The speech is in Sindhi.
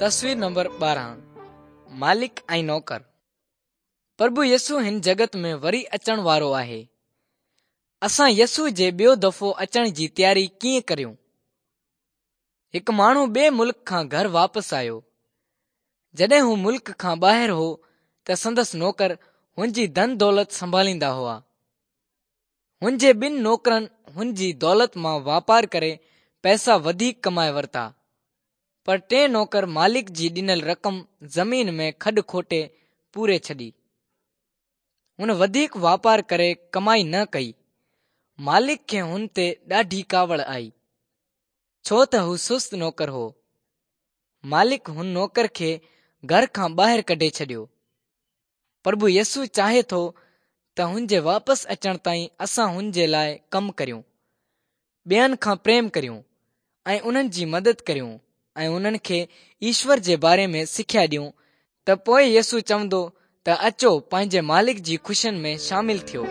تصوير نمبر 12 مالڪ ۽ نوڪر. پرڀو يسوع هن جڳت ۾ وري اچڻ وارو آهي. اسان يسوع جي ٻيو دفعو اچڻ جي تياري ڪيئن ڪريون؟ هڪ ماڻهو ٻئي ملڪ کان گهر واپس آيو. جڏهن هو ملڪ کان ٻاهر هو ته سندس نوڪر هن جي ڌن دولت سنڀاليندا هئا. هن جي ٻن نوڪرن هن جي دولت مان واپار ڪري پئسا وڌيڪ ڪمائي ورتا. پر ٽئين نوڪر مالڪ جي ڏنل رقم زمين ۾ کڏ کوٽي پوري ڇڏي. هن وڌيڪ واپار ڪري ڪمائي نه ڪئي. مالڪ کي هن تي ڏاڍي ڪاوڙ آئي. ڇو ته هو سست نوڪر هو. مالڪ هن نوڪر کي گهر کان ٻاهر ڪڍي ڇڏيو. پرڀو يسوع چاهي ٿو ته هن جي واپس اچڻ تائين اسان هن جي لاء ڪم ڪريون، ٻين کان پريم ڪريون ۽ انهن جي مدد ڪريون ۽ انهن کي ايشور جي باري ۾ سکيا ڏيون ته پوء يسوع چوندو ته اچو پنهنجي مالڪ جي خوشين ۾ شامل ٿيو.